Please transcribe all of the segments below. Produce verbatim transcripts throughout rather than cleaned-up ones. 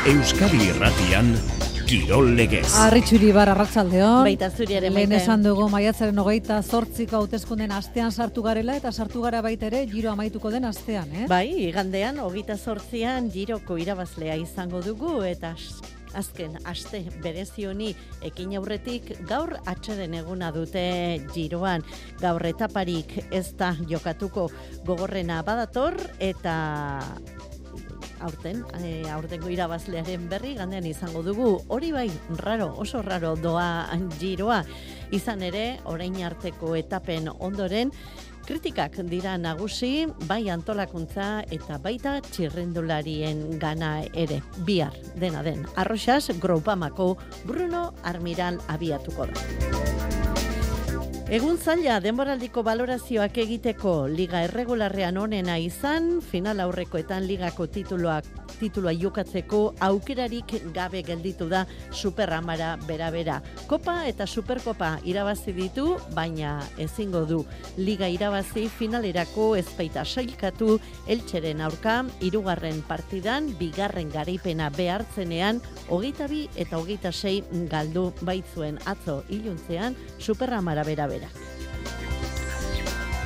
Euskadi Irratian Kirol Legez. Arritxuri bar arratsaldeon. Baita zuriaren Lehen baita. esan dugu maiatzaren hogeita zortziko hauteskunden astean sartu garela eta sartu gara baita ere giro amaituko den astean, eh? Bai, igandean hogeita zortzian giroko irabazlea izango dugu eta azken aste berezi honi ekin aurretik gaur atxeden eguna dute giroan. Gaur etaparik ez da jokatuko, gogorrena badator eta aurten, e, aurtengo irabazlearen berri gandean izango dugu. Hori bai, raro, oso raro doa giroa. Izan ere, orain arteko etapen ondoren, kritikak dira nagusi, bai antolakuntza eta baita txirrendularien gana ere. Bihar, dena den, Arroxas Groupamako Bruno Armiral abiatuko da. Egun zaila denboraldiko balorazioak egiteko liga erregularrean onena izan, final aurrekoetan ligako tituloak titulua jokatzeko aukerarik gabe gelditu da Superamara bera-bera. Kopa eta Superkopa irabazi ditu, baina ezingo du liga irabazi finalerako ezpaita sailkatu Eltxeren aurka hirugarren partidan bigarren garaipena behartzenean hogeita bi eta hogeita sei galdu baitzuen atzo iluntzean Superamara bera-bera.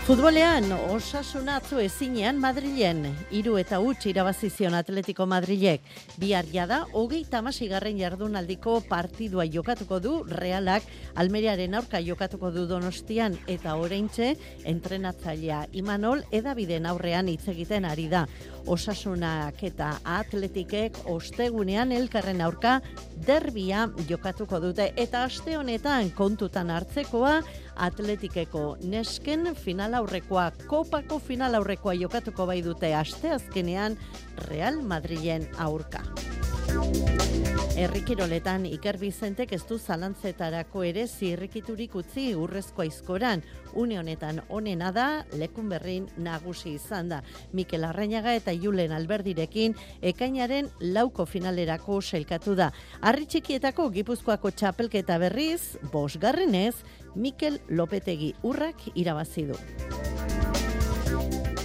Futbolean, Osasuna atzo ezinean Madrilen, hiru eta huts irabazizion Atletico Madrilek. Bihar jada, hogeita hamaseigarren jardunaldiko partidua jokatuko du Realak, Almeriaren aurka jokatuko du Donostian eta oraintxe entrenatzailea Imanol edabideen aurrean hitz egiten ari da. Osasunak eta Atletikek ostegunean elkarren aurka derbia jokatuko dute eta aste honetan kontutan hartzekoa Atletikeko nesken final aurrekoa, Kopako final aurrekoa jokatuko bai dute asteazkenean Real Madrilen aurka. Herrikiroletan Iker Bizentek ez du zalantzetarako ere zirrikiturik utzi urrezko aizkoran. Une honetan onena da, lekun berrin nagusi izan da. Mikel Arrainaga eta Julen Alberdirekin ekainaren lauko finalerako sailkatu da. Harri txikietako Gipuzkoako txapelketa berriz, bosgarrenez, Mikel Lopetegi urrak irabazi du.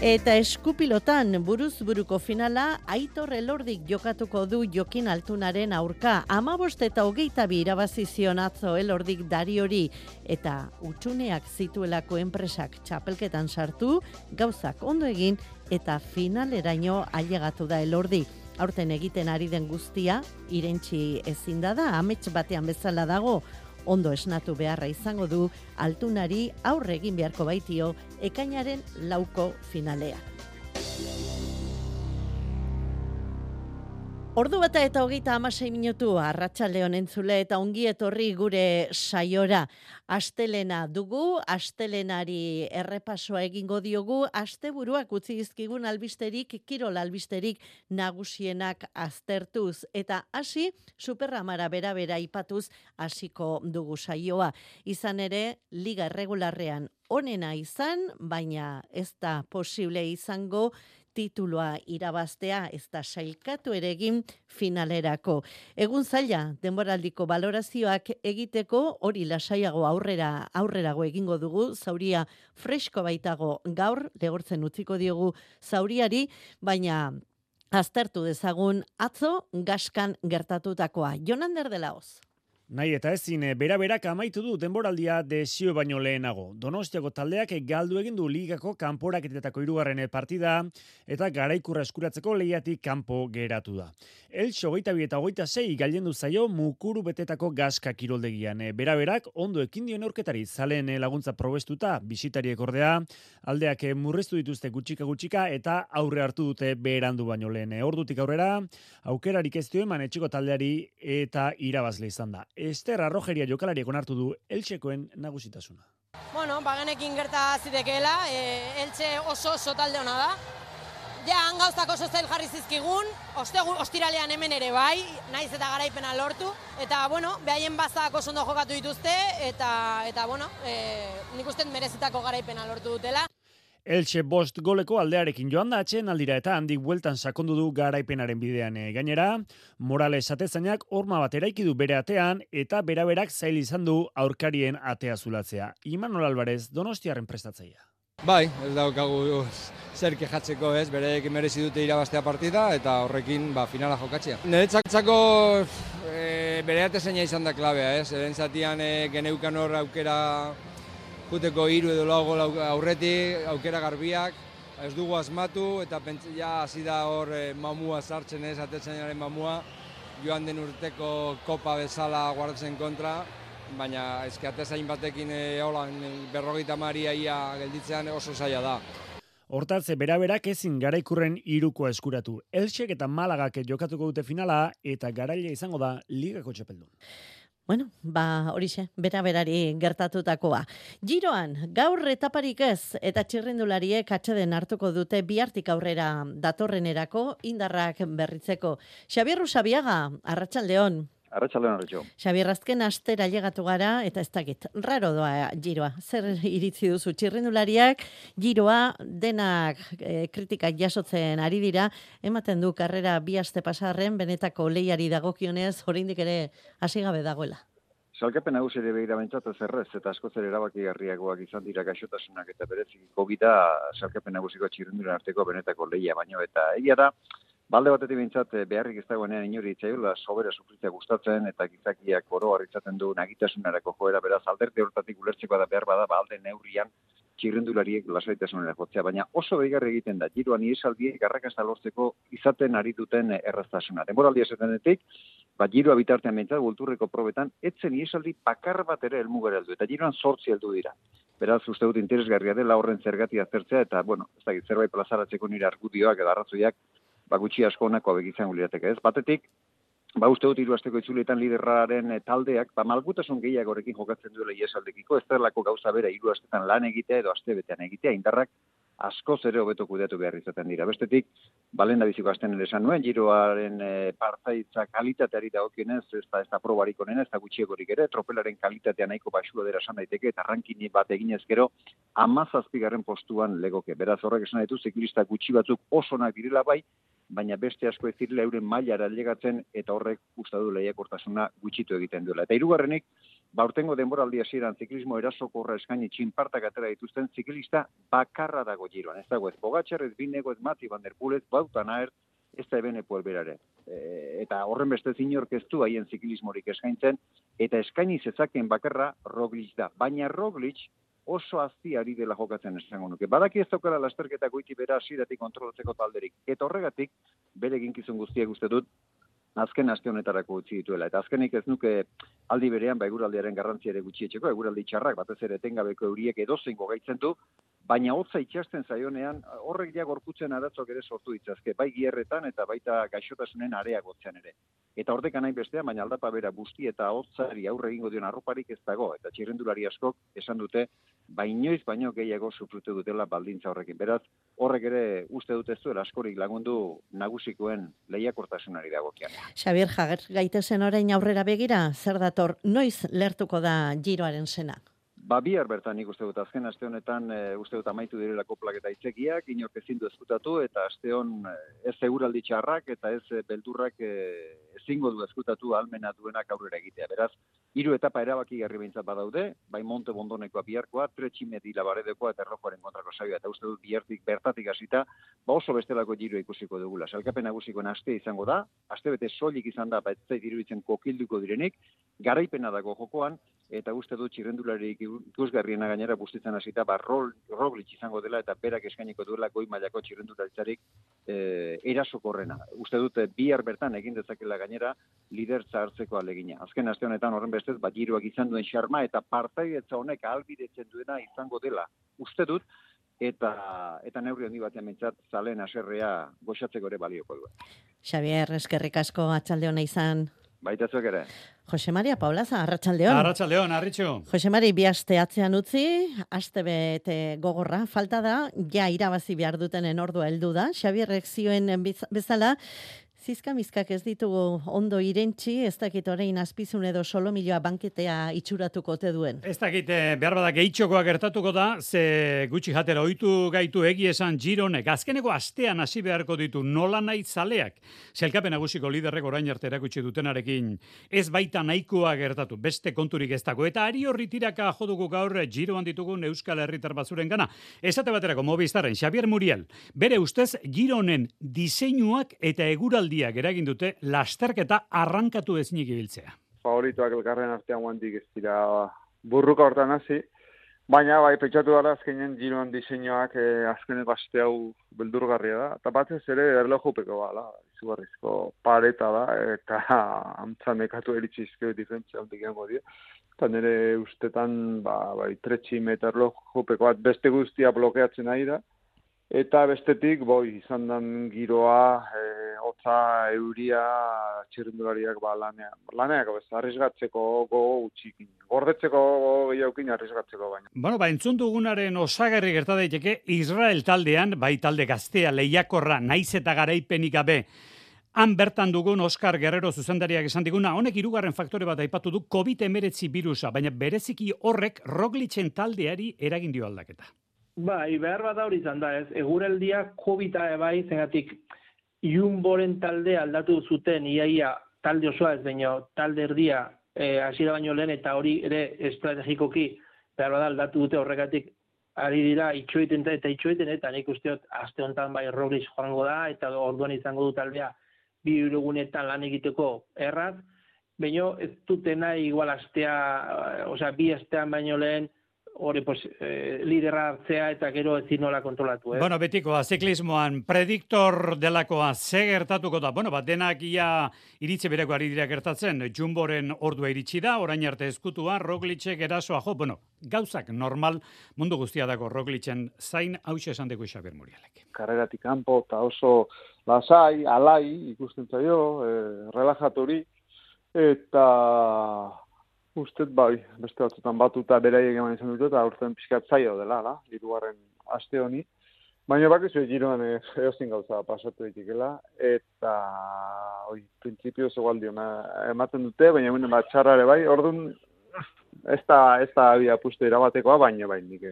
Eta eskupilotan buruz buruko finala Aitor Elordik jokatuko du Jokin Altunaren aurka. Hamabost eta hogeita bi irabazizion atzo Elordik Dariori eta utxuneak zituelako enpresak txapelketan sartu, gauzak ondo egin eta finaleraino ailegatu da Elordi. Aurten egiten ari den guztia, irentsi ezin da da, amets batean bezala dago, ondo esnatu beharra izango du Altunari aurre egin beharko baitio ekainaren lauko finalea. Ordu bata eta hogeita hamasei minutu arratsaldeon entzule eta ongi etorri gure saiora. Astelena dugu, astelenari errepasoa egingo diogu, asteburuak utzi dizkigun albisterik, kirol albisterik nagusienak aztertuz. Eta hasi, Superamara bera-bera ipatuz hasiko dugu saioa. Izan ere, liga erregularrean onena izan, baina ez da posible izango titulua irabaztea, ez da sailkatu ere egin finalerako. Egun zaila, denboraldiko balorazioak egiteko, hori lasaiago aurrera aurrerago egingo dugu, zauria fresko baitago gaur, legortzen utziko diogu zauriari, baina aztertu dezagun atzo gaskan gertatutakoa. Jonander de la Hoz. Nahi eta ezin, bera-berak amaitu du denboraldia desio baino lehenago. Donostiako taldeak galdu egin du ligako kanporaketetako hirugarren partida eta garaikurra eskuratzeko lehiatik kanpo geratu da. Eltxo hogeita bi eta hogeita sei gailendu zaio mukuru betetako gaska kiroldegian. Bera-berak ondo ekin dio neurketari zalen laguntza probestuta bisitariek ordea, aldeak murriztu dituzte gutxika-gutxika eta aurre hartu dute berandu baino lehen. Ordutik aurrera, aukerarik ez dio eman etxeko taldeari eta irabazle izan da. Ester Arrojeria jokalariek onartu du Eltxekoen nagusitasuna. Bueno, bagenekin gerta zitekeela, e, Eltxe oso oso talde ona da. Ja, hangauztak oso zail jarri zizkigun, ostegu, ostiralean hemen ere bai, naiz eta garaipena lortu. Eta, bueno, behaien bazak oso ondo jokatu dituzte, eta, eta bueno, e, nik uste merezitako garaipena lortu dutela. Elche bost goleko aldearekin joan da atxeen aldira eta handik bueltan sakondu du garaipenaren bidean. Gainera, Morales atezainak horma bat eraiki du bere atean eta beraberak zail izan du aurkarien atea zulatzea. Imanol Alvarez, Donostiarren prestatzailea. Bai, ez daukagu zer kejatzeko ez, bereek merezi dute irabaztea partida eta horrekin ba, finala jokatzea. Niretzako e, bere atezaina izan da klabea ez, eren zatian e, geneukan hor aukera juteko hiru edo lau gol aurretik, aukera garbiak, ez dugu asmatu eta pentsia hasi da hor e, mamua sartzen ez, atezainaren mamua, joan den urteko kopa bezala guardatzen kontra, baina eski atezain batekin e, holan berrogeita maria ia gelditzean oso zaila da. Hortaz, bera-berak ezin Garaikurren hirukoa eskuratu. Elxek eta Malagak jokatuko dute finala eta garaile izango da ligako txapeldun. Bueno, ba horixe, bera-berari gertatutakoa. Giroan, gaur etaparik ez eta txirrindulariek atxeden hartuko dute bihartik aurrera datorrenerako indarrak berritzeko. Xabier Rusabiaga, arratsaldeon. Arratsaldeon, arratxo. Xabier, azken astera llegatu gara eta ez dakit, raro doa giroa. Zer iritzi duzu txirrindulariak, giroa denak e, kritikak jasotzen ari dira, ematen du karrera bi aste pasarren benetako lehiari dagokionez, oraindik ere hasi gabe dagoela. Salkapen nagusi ere begira bentsat ez errez, eta askoz ere erabakigarriagoak izan dira gaixotasunak eta bereziko gida salkapen nagusiko txirrindulen arteko benetako lehia baino, eta egia da, balde batetik bintzat beharrik ez dagoenean inori itzaiola sobera sufritzea gustatzen eta gizakiak oro harritzaten du nagitasunerako joera, beraz alderte hortatik ulertzeko da behar bada balde neurrian txirrindulariek lasaitasunera jotzea, baina oso behigarri egiten da giroan iesaldiek arrakasta lortzeko izaten ari duten erraztasuna. Denboraldia esatenetik, ba giroa bitartean bintzat kulturreko probetan etzen iesaldi bakar bat ere helmugera heldu eta giroan zortzi heldu dira. Beraz, uste dut interesgarria dela horren zergatia aztertzea eta, bueno, ez dakit, zerbait plazaratzeko nire argudioak edo arrazoiak ba gutxi asko honako hauek izango lirateke, ez? Batetik, ba uste dut hiru asteko itzulietan liderraren taldeak, ba malgutasun gehiagorekin jokatzen duela iesaldekiko, ez delako gauza bera hiru astetan lan egitea edo astebetean egitea, indarrak askoz ere hobeto kudeatu behar izaten dira. Bestetik, balen da biziko asten ere esan nuen, giroaren e, partaitza kalitateari dagokionez, ez da, ez da probarik onena, ez da gutxiegorik ere, tropelaren kalitatea nahiko basua dira esan daiteke, eta rankini bat eginez gero, hamazazpigarren postuan legoke. Beraz horrek esan ditu, ziklista gutxi batzuk osonak direla bai, baina beste asko ez direla euren mailara ailegatzen eta horrek uste du lehiakortasuna gutxitu egiten duela. Eta hirugarrenik, ba urtengo denboraldi hasieran ziklismo erasokorra eskaini txinpartak atera dituzten ziklista bakarra dago giroan. Ez dago ez Pogačar, ez Binego, ez Mati Van der Poel, ez Wout van Aert, ez da Evenepoel berare. E, eta horren beste inork ez du haien ziklismorik eskaintzen, eta eskaini zezaken bakarra Roglic da. Baina Roglic oso azti ari dela jokatzen esango nuke. Badaki ez daukala lasterketa goiti bera hasieratik kontrolatzeko talderik. Eta horregatik, bere eginkizun guztiak uste dut, azken aste honetarako utzi dituela. Eta azkenik ez nuke aldi berean, ba eguraldiaren garrantzia ere gutxietxeko, eguraldi txarrak, batez ere etengabeko euriek edozein gogaitzen du, baina hotza itxasten zaionean, horrek ja gorputzen arazoak ere sortu ditzazke, bai gierretan eta baita gaixotasunen areagotzean ere. Eta horrek nahi bestean, baina aldapa bera busti eta hotzari aurre egingo dion arroparik ez dago, eta txirrindulari askok esan dute, ba inoiz baino gehiago sufritu dutela baldintza horrekin. Beraz, horrek ere uste dut ez duela askorik lagundu nagusikoen lehiakortasunari dagokian. Xabier, jager gaitezen orain aurrera begira, zer dator, noiz lertuko da giroaren sena? Ba, bihar bertan nik uste dut, azken aste honetan e, uste dut amaitu direlako plaketa itzekiak, inork ezin du eskutatu, eta aste hon ez eguraldi txarrak eta ez beldurrak e, ezingo du eskutatu ahalmena duenak aurrera egitea. Beraz, hiru etapa erabakigarri behintzat badaude, bai Monte Bondonekoa biharkoa, Tretximeti Labaredekoa eta Errojoaren kontrako saioa, eta uste dut bihartik bertatik hasita, ba oso bestelako giro ikusiko dugula. Salkapen nagusikoen aste izango da, aste bete soilik izan da, ba ez zait iruditzen kokilduko direnik, garaipena dago jokoan, eta uste dut txirrendularik ikusgarriena gainera bustitzen hasita, ba Roglic izango dela eta berak eskainiko duela goi mailako txirrendularitzarik e, erasokorrena. Uste dut bihar bertan egin dezakela gainera lidertza hartzeko alegina. Azken aste honetan horren bestez, ba giroak izan duen xarma eta partaidetza honek ahalbidetzen duena izango dela. Uste dut eta eta neurri handi batean mentzat zalen haserrea goxatzeko ere balioko du. Xabier, eskerrik asko atxalde hona izan. Baita zuek ere. Jose Maria Paulaza, arratsaldeon. Arratsaldeon, Arritxu. Jose Mari, bi aste atzean utzi, aste bete gogorra, falta da, ja irabazi behar dutenen ordua heldu da, Xabierrek zioen bezala, Zizkamizkak ez ditugu ondo irentzi, ez dakit orain azpizun edo solomiloa banketea itxuratuko te duen. Ez dakit, behar bada gehitxokoa gertatuko da, ze gutxi jatera ohitu gaitu egi esan Gironek. Azkeneko astean hasi beharko ditu nola nahi zaleak. Zelkapen nagusiko liderrek orain arte erakutsi dutenarekin ez baita nahikoa gertatu, beste konturik ez dago. Eta ari horri tiraka jodugu gaur Giroan ditugun Euskal Herritar bazuren gana. Esate baterako Movistarren Xabier Muriel, bere ustez Gironen diseinuak eta eguraldi eragin dute lasterketa arrankatu ezinik ibiltzea. Favoritoak elkarren artean guantik ez dira burruka hortan hasi, baina bai pentsatu dara azkenen Giroan diseinuak eh, azkeneko aste hau beldurgarria da, eta batez ere erlojupeko bala, izugarrizko pareta da, eta antza nekatu eritxizkeo diferentzia hondik egongo dira. Eta nire ustetan ba, bai, tretxi meter erlojupeko bat beste guztia blokeatzen ari da, eta bestetik, boi, izan den giroa, e, hotza, euria, txirrindulariak ba, lanean. Laneak, bez, arrizgatzeko gogo utxikin. Gordetzeko gehiagokin arrizgatzeko baina. Bueno, ba, entzun dugunaren osagarri gerta daiteke Israel taldean, bai talde gaztea, lehiakorra, naiz eta garaipenik gabe, han bertan dugun Oskar Guerrero zuzendariak esan diguna, honek hirugarren faktore bat aipatu du covid hemeretzi birusa, baina bereziki horrek Roglicen taldeari eragin dio aldaketa. Bai, behar bat hori izan da, ez. Eguraldia COVID-a ebai, zengatik Jumboren talde aldatu zuten, iaia talde osoa ez baino, talde erdia eh, hasiera baino lehen, eta hori ere estrategikoki behar bat aldatu dute horregatik ari dira itxoiten eta itxoiten, eta nik usteot aste honetan bai Roglic joango da, eta orduan izango du taldea bi egunetan lan egiteko erraz, baino ez dute nahi igual astea, osea, bi astean baino lehen, hori pues, eh, lidera hartzea eta gero ezin nola kontrolatu. Eh? Bueno, betikoa, ziklismoan, prediktor delakoa ze gertatuko da. Bueno, bat denak ia iritze bereko ari dira gertatzen, Jumboren ordua iritsi da, orain arte ezkutua, Roglicek erasoa jo, bueno, gauzak normal mundu guztia dago Roglicen zain, hauxe esan dugu Xabier Murielek. Karreratik kanpo eta oso lasai, alai, ikusten zaio, eh, relajaturi, eta ustet bai, beste batzutan batuta beraiek eman izan dut, eta urten pixkat zaio dela, la, hirugarren aste honi. Baina bakizu Giroan eozin gauza pasatu ditikela, eta oi, printzipio zegoaldio ematen dute, baina hemen bat txarrare bai, orduan ez da, ez da abia puste irabatekoa, baina bai, nik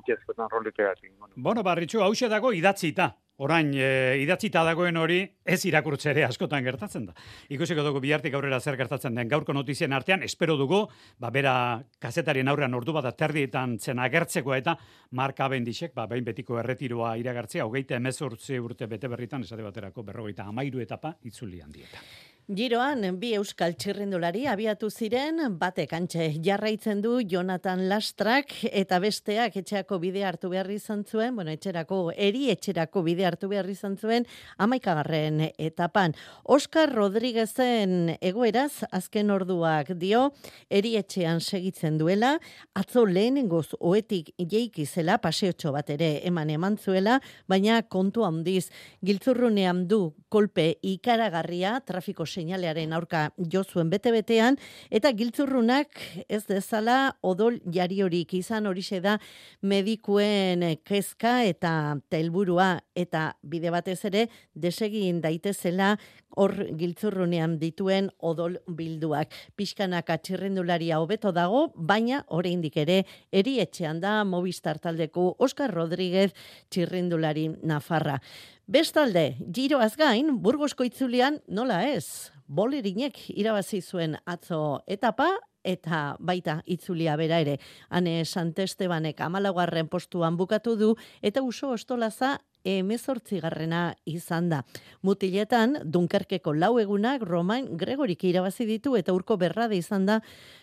itxezkoetan rolitegatik. Bueno, barritxu, hause dago idatzita. Orain, e, idatzita dagoen hori ez irakurtzere askotan gertatzen da. Ikusiko dugu bihartik aurrera zer gertatzen den gaurko notizien artean, espero dugu, ba, bera kazetarien aurrean ordu bat aterdietan zen agertzeko eta Mark Cavendishek, ba, behin betiko erretiroa iragartzea, hogeita hemezortzi urte bete berritan, esate baterako berrogeita hamairu etapa itzuli handieta. Giroan, bi euskal txirrindulari abiatu ziren, batek antxe jarraitzen du Jonathan Lastrak, eta besteak etxeako bide hartu behar izan zuen, bueno, etxerako, eri etxerako bide hartu behar izan zuen, amaikagarren etapan. Oskar Rodriguezen egoeraz, azken orduak dio, eri etxean segitzen duela, atzo lehenengoz oetik jeikizela, paseotxo bat ere eman eman zuela, baina kontu handiz, giltzurrunean du kolpe ikaragarria, trafiko seinalearen aurka jo zuen bete-betean, eta giltzurrunak ez dezala odol jariorik izan, horixe da medikuen kezka eta helburua, eta bide batez ere desegin daitezela hor giltzurrunean dituen odol bilduak. Pixkanaka txirrindularia hobeto dago, baina oraindik ere erietxean da Movistar taldeko Oskar Rodríguez txirrindulari nafarra. Bestalde, Giroaz gain, Burgosko itzulian nola ez? Bolerinek irabazi zuen atzo etapa, eta baita itzulia bera ere. Hane Santestebanek hamalaugarren postuan bukatu du, eta Uso Ostolaza hemezortzigarrena izan da. Mutiletan, Dunkerkeko lau egunak Romain Gregorik irabazi ditu, eta Urko Berrade izan da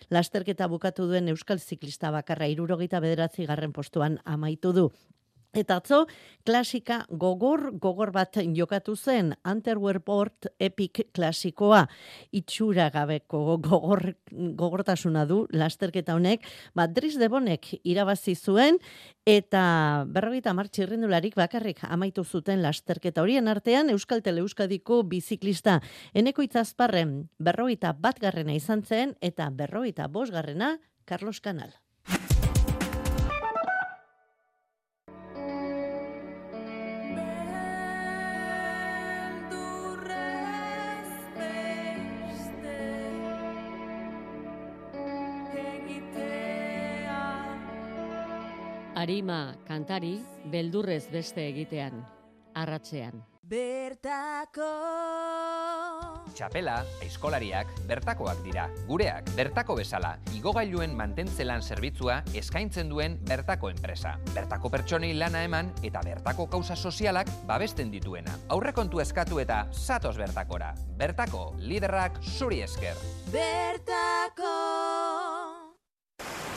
lasterketa bukatu duen euskal ziklista bakarra hirurogeita bederatzigarren postuan amaitu du. Eta atzo, klasika gogor, gogor bat jokatu zen, Antwerp Port Epic klasikoa, itxura gabeko gogor, gogortasuna du lasterketa honek, bat Dries de Bonek irabazi zuen, eta berrogeita hamar txirrindularik bakarrik amaitu zuten lasterketa horien artean, Euskal Teleuskadiko biziklista Eneko Itzazparren berrogeita bat garrena izan zen, eta berrogeita bost garrena Carlos Canal. Arima kantari, beldurrez beste egitean, arratsean. Bertako Txapela, aizkolariak, bertakoak dira. Gureak, bertako bezala, igogailuen mantentzelan zerbitzua eskaintzen duen bertako enpresa. Bertako pertsonei lana eman eta bertako kausa sozialak babesten dituena. Aurrekontu eskatu eta zatoz bertakora. Bertako, liderrak zuri esker. Bertako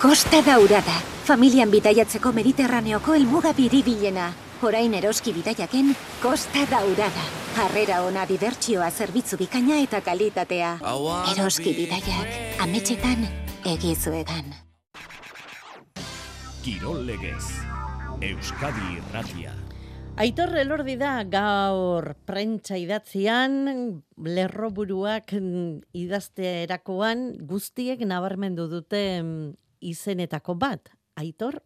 Costa Daurada, familian bidaiatzeko Mediterraneoko helmuga biribilena. Orain eroski bidaiaken Costa Daurada. Harrera ona, dibertsioa, zerbitzu bikaina eta kalitatea. Eroski bidaiak, ametxetan, egizuetan. Kirol Legez, Euskadi Irratia. Aitor Elordi da gaur prentsa idatzian, lerroburuak idazterakoan guztiek nabarmendu dute izenetako bat. Aitor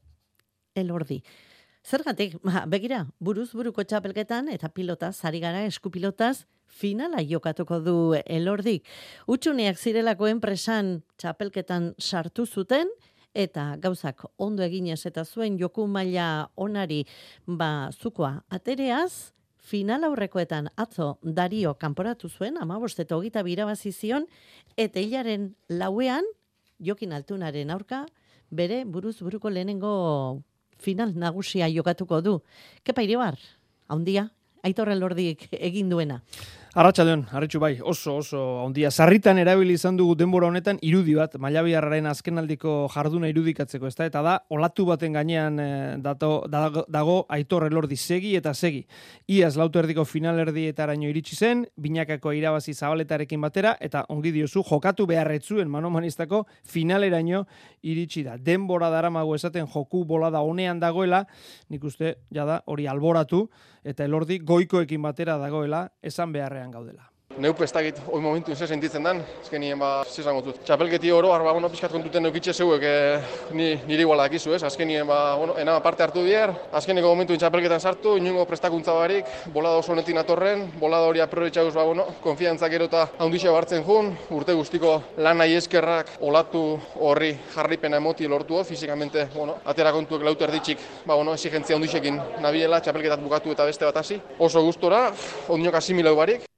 Elordi. Zergatik, ba, begira, buruz buruko txapelketan eta pilotaz, ari gara eskupilotaz, finala jokatuko du Elordik. Utsuneak zirelako enpresan txapelketan sartu zuten, eta gauzak ondo eginez eta zuen joku maila onari ba, zukoa atereaz, final aurrekoetan atzo Dario kanporatu zuen, amabost eta hogeita birabazi zion, eta hilaren lauean, Jokin Altunaren aurka, bere buruz buruko lehenengo final nagusia jokatuko du. Kepa Iribar, haundia, Aitor Elordik egin duena. Arratsaldeon, Arritxu bai, oso oso handia. Sarritan erabili izan dugu denbora honetan irudi bat, Mailabiarraren azkenaldiko jarduna irudikatzeko, ezta? Eta da olatu baten gainean eh, dato, dago, dago Aitor Elordi segi eta segi. Iaz lauto erdiko finalerdietaraino iritsi zen, binakako irabazi zabaletarekin batera, eta ongi diozu jokatu beharretzuen manomanistako finaleraino iritsi da. Denbora daramago esaten joku bolada honean dagoela, nik uste jada hori alboratu, eta Elordi goikoekin batera dagoela esan beharrean gaudela. Neupe ez dakit, hoi momentu ze sentitzen dan, ezkenien ba, zizango dut. Txapelketi oro, arba, bueno, pixkat kontuten neukitxe zeuek, e, ni, nire iguala dakizu, ez? Azkenien, ba, bueno, enama parte hartu dier, azkeneko momentu txapelketan sartu, inungo prestakuntza barik, bolada oso honetin atorren, bolada hori aprobetxauz, ba, bueno, konfiantzak erota handixe hartzen jun, urte guztiko lan nahi eskerrak olatu horri jarripena emoti lortu, fizikamente, bueno, atera kontuek lauter ditxik, ba, bueno, exigentzia handixekin nabiela, txapelketat bukatu eta beste bat hasi. Oso gustora, ondinok asimilau barik.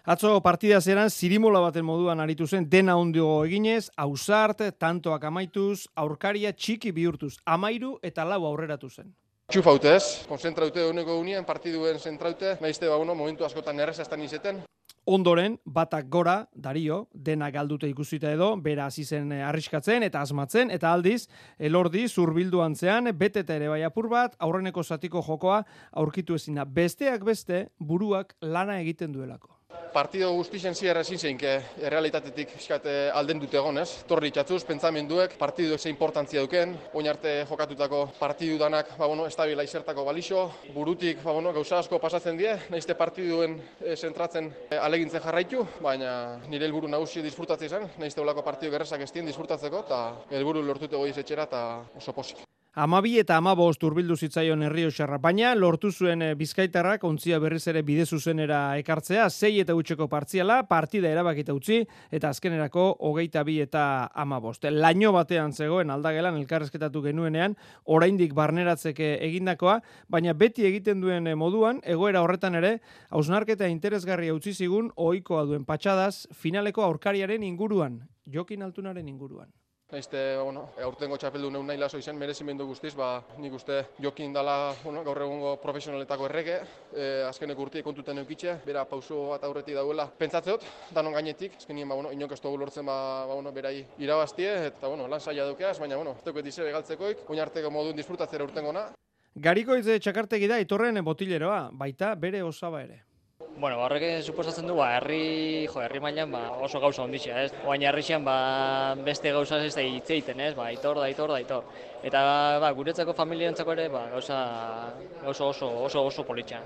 Atzo partida zeran zirimola baten moduan aritu zen dena ondio eginez, ausart, tantoak amaituz, aurkaria txiki bihurtuz, amairu eta lau aurreratu zen. Txufaute ez, konzentraute honeko unien, partiduen zentraute, nahizte ba, bueno, momentu askotan erreza estan izeten. Ondoren, batak gora, Dario, dena galdute ikusita edo, bera hasi zen arriskatzen eta asmatzen, eta aldiz, Elordi zurbildu antzean, beteta ere bai apur bat, aurreneko zatiko jokoa aurkitu ezina. Besteak beste, buruak lana egiten duelako. Partido guztien ziarra ezin zeinke errealitatetik fiskate alden dute egon, ez? Torri txatzuz, pentsamenduek, partiduek ze importantzia duken, oin arte jokatutako partidu danak, ba, bueno, estabila izertako balixo, burutik, ba, bueno, gauza asko pasatzen die, nahizte partiduen e, zentratzen e, alegintzen jarraitu, baina nire helburu nagusi disfrutatzea izan, nahizte olako partidu gerrezak ez dien disfrutatzeko, eta helburu lortute goiz etxera, eta oso posik. Amabi eta amabost urbildu zitzaion Errioxarra, baina lortu zuen Bizkaitarrak ontzia berriz ere bide zuzenera ekartzea, sei eta utxeko partziala, partida erabakita utzi, eta azkenerako hogeita bi eta amabost. Laino batean zegoen aldagelan elkarrezketatu genuenean, oraindik barneratzeke egindakoa, baina beti egiten duen moduan, egoera horretan ere, hausnarketa interesgarria utzi zigun, ohikoa duen patxadaz, finaleko aurkariaren inguruan, Jokin Altunaren inguruan. Naizte, bueno, aurtengo txapeldu neun nahi laso izan, merezimendu guztiz, ba, nik uste Jokin dala, bueno, gaur egungo profesionaletako errege, e, azkeneko urtiek kontuten eukitxe, bera pauso bat aurretik dauela. Pentsatzeot, danon gainetik, azkenien, ba, bueno, inok ez dugu lortzen, ba, ba, bueno, berai irabaztie, eta, bueno, lan saia dukeaz, baina, bueno, ez duket izebe galtzekoik, oin arteko modun disfrutatzera urtengona. Garikoitz txakartegi da, Aitorren botileroa, baita bere osaba ere. Bueno, horrek suposatzen du, ba, herri, jo, herri mailan ba, oso gauza ondixea, ez? Oain herrixean ba, beste gauza ez da hitz egiten, ez? Ba, Aitor, da, Aitor, da, Aitor. Eta ba, guretzako familientzako ere ba, gauza, gauza oso, oso, oso politxa.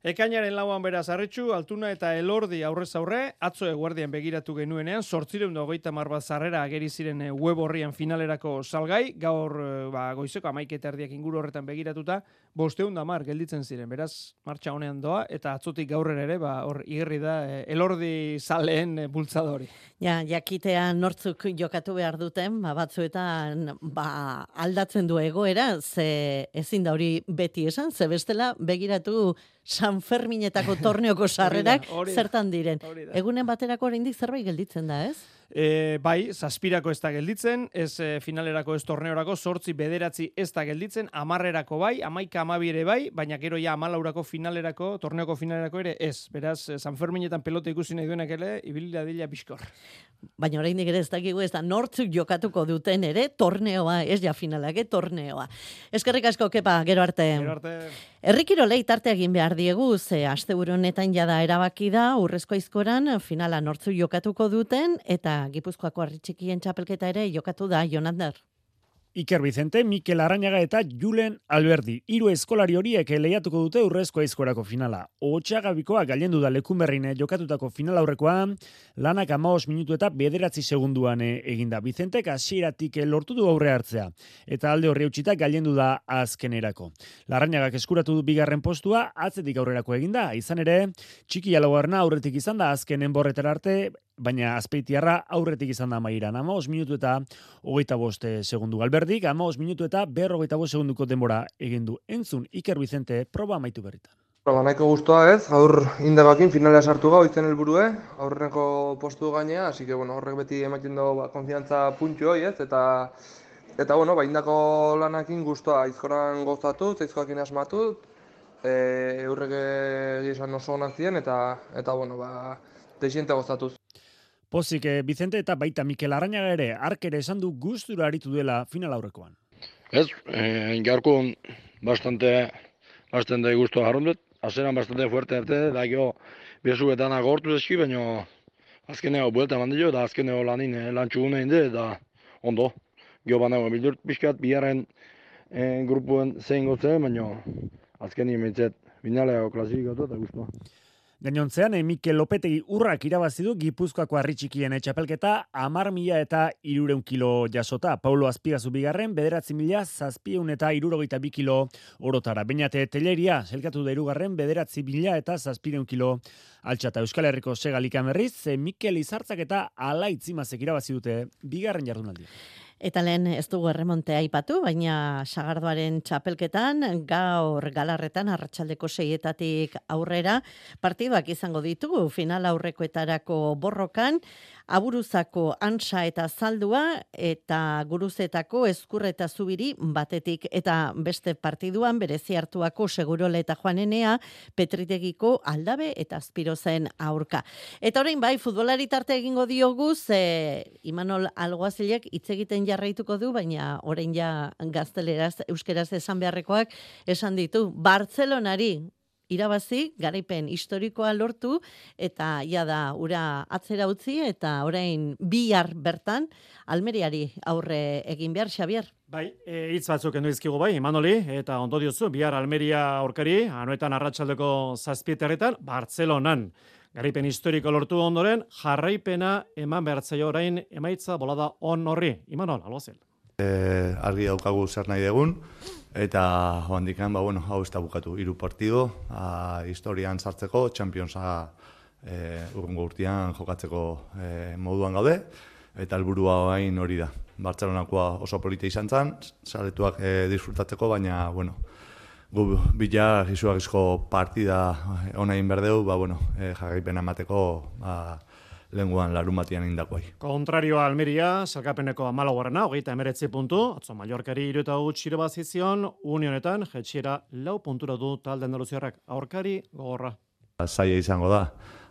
Ekainaren lauan beraz Arretxu, Altuna eta Elordi aurrez aurre, atzo eguerdian begiratu genuenean, zortzireun da hogeita hamar bat sarrera ageri ziren web horrian finalerako salgai, gaur ba, goizeko hamaika erdiak inguru horretan begiratuta, bosteun da mar gelditzen ziren, beraz, martxa honean doa, eta atzotik gaurrera ere, ba, hor igerri da, Elordi zaleen bultzadori. Ja, jakitea nortzuk jokatu behar duten, ba, batzuetan ba, aldatzen du egoera, ze ezin da hori beti esan, ze bestela begiratu San Ferminetako torneoko sarrerak zertan diren. Egunen baterako oraindik zerbait gelditzen da, ez? E, bai, zazpirako ez da gelditzen, ez e, finalerako ez torneorako, zortzi bederatzi ez da gelditzen, amarrerako bai, amaika amabi ere bai, baina gero ja amalaurako finalerako, torneoko finalerako ere ez. Beraz, San Ferminetan pelota ikusi nahi duenak ere, ibilila dila bizkor. Baina oraindik ere ez dakigu ez da nortzuk jokatuko duten ere torneoa, ez ja finalak, eh, torneoa. Eskerrik asko, Kepa, gero arte. Gero arte. Herrikirolei tarte egin behar diegu, ze asteburu honetan jada erabaki da, Urrezko Aizkoran finala nortzuk jokatuko duten, eta Gipuzkoako Harritxikien txapelketa ere jokatu da, Jonander. Iker Vicente, Mikel Arrañaga eta Julen Alberdi. Hiru eskolari horiek lehiatuko dute Urrezko Aizkorako finala. Otxagabikoa gailendu da Lekunberrin jokatutako final aurrekoa, lanak hamabost minutu eta bederatzi segunduan eginda. Vicentek hasieratik lortu du aurre hartzea, eta alde horri utzita gailendu da azkenerako. Larrañagak eskuratu du bigarren postua, atzetik aurrerako eginda, izan ere, Txiki Laugarna aurretik izan da azkenen borretara arte, baina Azpeitiarra aurretik izan da mairan. hamabost minutu eta hogeita bost segundu. Alberdik hamabost minutu eta berrogeita bost segunduko denbora egin du. Entzun Iker Vicente proba amaitu berritan. Proba nahiko guztua ez, aur indabakin finalea sartu gau izen helburue, aurreneko postu gainea, así que bueno, horrek beti ematen du ba, konfiantza puntxu hoi ez, eta eta bueno, ba, indako lanakin guztua, aizkoran gozatu, aizkoakin asmatu, e, eurrek egizan oso onak ziren, eta, eta bueno, ba, desiente gozatuz. Pozik, Vicente eta baita Mikel Arrañaga ere, ark ere esan du gustura aritu dela final aurrekoan. Ez, eh, gaurko bastante, bastante gustua jarrundet, azeran bastante fuerte arte, da gio bezuetan agortu eski, baina azkeneo buelta mandio, da azkeneo lanin eh, lantxugune inde, da ondo. Gio banago bildurt pixkat, biharren eh, grupuen zein gotzen, baina azkeni emetzet binaleo klasifikatu eta gustua. Gainontzean, Mikel Lopetegi urrak irabazi du Gipuzkoako Harritxikien txapelketa hamar mila eta hirurehun kilo jasota. Paulo Azpigazu bigarren, bederatzi mila zazpieun eta hirurogeita bi kilo orotara. Beñate Telleria, selkatu da hirugarren, bederatzi mila eta zazpiehun kilo altxata. Euskal Herriko Segalikan berriz, Mikel Izartzak eta Alaitzimazek irabazi dute bigarren jardunaldia. Eta lehen ez dugu erremontea aipatu, baina Sagardoaren txapelketan, gaur galarretan arratsaldeko seietatik aurrera, partiduak izango ditugu, final aurrekoetarako borrokan, Aburuzako Antsa eta Zaldua, eta Guruzetako Ezkur eta Zubiri batetik, eta beste partiduan berezi hartuako Segurola eta Juanenea, Petritegiko Aldabe eta Azpirozen aurka. Eta orain bai, futbolari tarte egingo diogu, ze Imanol Alguazilek hitz egiten jarraituko du, baina orain ja gazteleraz, euskeraz esan beharrekoak esan ditu. Bartzelonari irabazi, garaipen historikoa lortu, eta ja da, ura atzera utzi, eta orain bihar bertan, Almeriari aurre egin behar, Xabier. Bai, hitz e, batzuk endu izkigu bai, Imanoli, eta ondo diozu, bihar Almeria aurkari, anuetan arratsaldeko zazpieterretan, Bartzelonan. Garaipen historiko lortu ondoren, jarraipena eman behartzaio orain emaitza bolada on horri. Imanol, algozel. E, argi daukagu zer nahi degun, eta joandikan, ba, bueno, hau ez da bukatu, hiru partido, a, historian sartzeko, Championsa e, urrungo urtean jokatzeko e, moduan gaude, eta helburua hain hori da. Bartzelonakoa oso polita izan zen, zaletuak e, disfrutatzeko, baina, bueno, gu bila izugarrizko partida onain berdeu, ba, bueno, e, jarraipena emateko, ba, lenguan larun batian indakoai. Kontrarioa Almeria, salkapeneko amalaugarrena, hogeita emeretzi puntu, atzo Mallorcari hiru eta huts irabazizion, unionetan, jetxiera lau puntura du talde andaluziarrak, aurkari gogorra. Zaila izango da,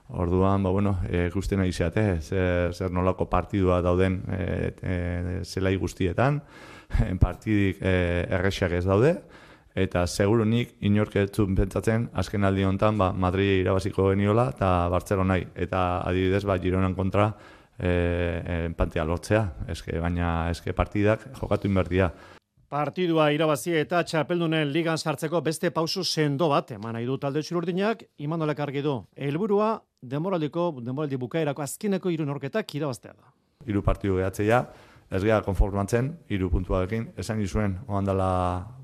orduan, ba, bueno, e, guztien aizeate, zer, zer nolako partidua dauden e, e, zelai guztietan, partidik e, errexak ez daude, eta segurunik inork ez zuen pentsatzen azken aldi honetan ba, Madrid irabaziko geniola eta Bartzelonai. Eta adibidez ba, Gironan kontra e, enpantea lortzea. Eske, baina eske partidak jokatu inbertia. Partidua irabazi eta txapeldunen ligan sartzeko beste pausu sendo bat eman nahi du talde txururdinak, Imanolek argi du. Helburua denboraldiko denboraldi bukaerako azkeneko hiru neurketak irabaztea da. Hiru partidu gehatzea, ez gara konformatzen, hiru puntuarekin, esan izuen, oandala,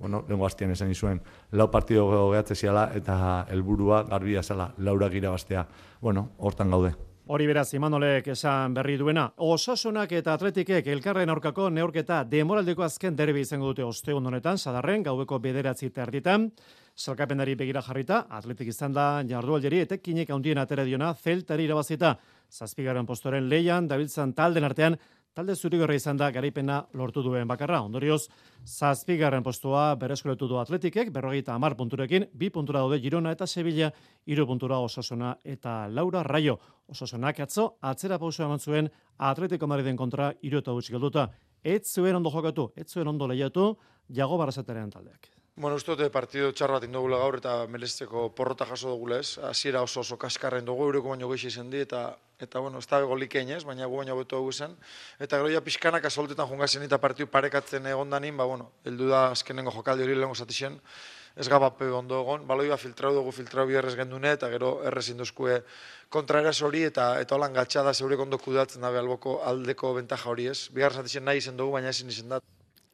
bueno, lengo hastian esan izuen, lau partidu gehatze ziala eta helburua garbia zela, laurak irabaztea. Bueno, hortan gaude. Hori beraz, Imanolek esan berri duena. Osasunak eta Atletikek elkarren aurkako neurketa demoraldeko azken derbi izango dute ostegun honetan, sadarren, gaueko bederatzi terditan. Salkapenari begira jarrita, Atletik izan da jardualderi etekinek handien atera diona, Zeltari irabazita. Zazpigarren postoren leian, dabiltzan talden artean, talde zurigorra izan da garaipena lortu duen bakarra. Ondorioz, zazpigarren postua berreskuretu du Atletikek, berrogeita hamar punturekin, bi puntura daude Girona eta Sevilla, hiru puntura Osasuna eta Laura Raio. Osasunak atzo, atzera pausoa eman zuen Atletico Madriden kontra hiru eta gutxi galduta. Ez zuen ondo jokatu, ez zuen ondo lehiatu, Jago Barrazaterean taldeak. Bueno, uste dute partido txar bat indugula gaur eta melezteko porrota jaso dugula ez. Hasiera oso oso kaskarren dugu, eureko baino gehi izan di eta eta bueno, ez da golik ez, baina gu baino beto dugu zen. Eta gero ja pixkanak asoltetan jungazen eta partidu parekatzen egondanin, ba bueno, heldu da azkenengo jokaldi hori lehengo zatixen. Ez gabape ondo egon, baloi ba filtrau dugu, filtrau biherrez gendune, eta gero errez induzkue kontraeraz hori, eta eta holan gatxada zeurek ondo kudatzen dabe alboko aldeko bentaja hori ez. Bigarren zatixen nahi izen dugu, baina ezin izen dat.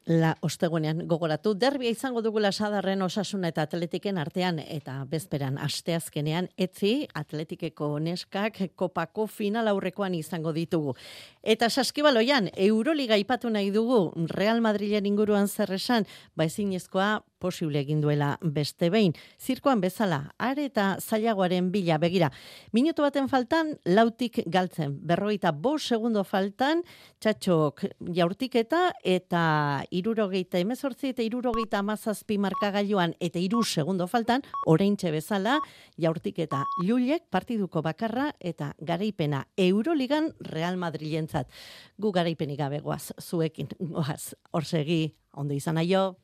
La ostegunean gogoratu, derbia izango dugula sadarren Osasuna eta Atletiken artean eta bezperan asteazkenean etzi Atletikeko neskak kopako final aurrekoan izango ditugu. Eta saskibaloian Euroliga ipatu nahi dugu Real Madrilen inguruan zer esan, ba ezinezkoa posible egin duela beste behin. Zirkoan bezala, are eta zailagoaren bila begira. Minutu baten faltan, lautik galtzen. Berrogeita bost segundo faltan, txatxok jaurtiketa eta irurogeita emezortzi eta irurogeita amazazpi markagailuan eta iru segundo faltan, oraintxe bezala, jaurtiketa Llullek partiduko bakarra eta garaipena Euroligan Real Madrilentzat. Gu garaipenik gabe goaz, zuekin goaz, orsegi, ondo izan aio.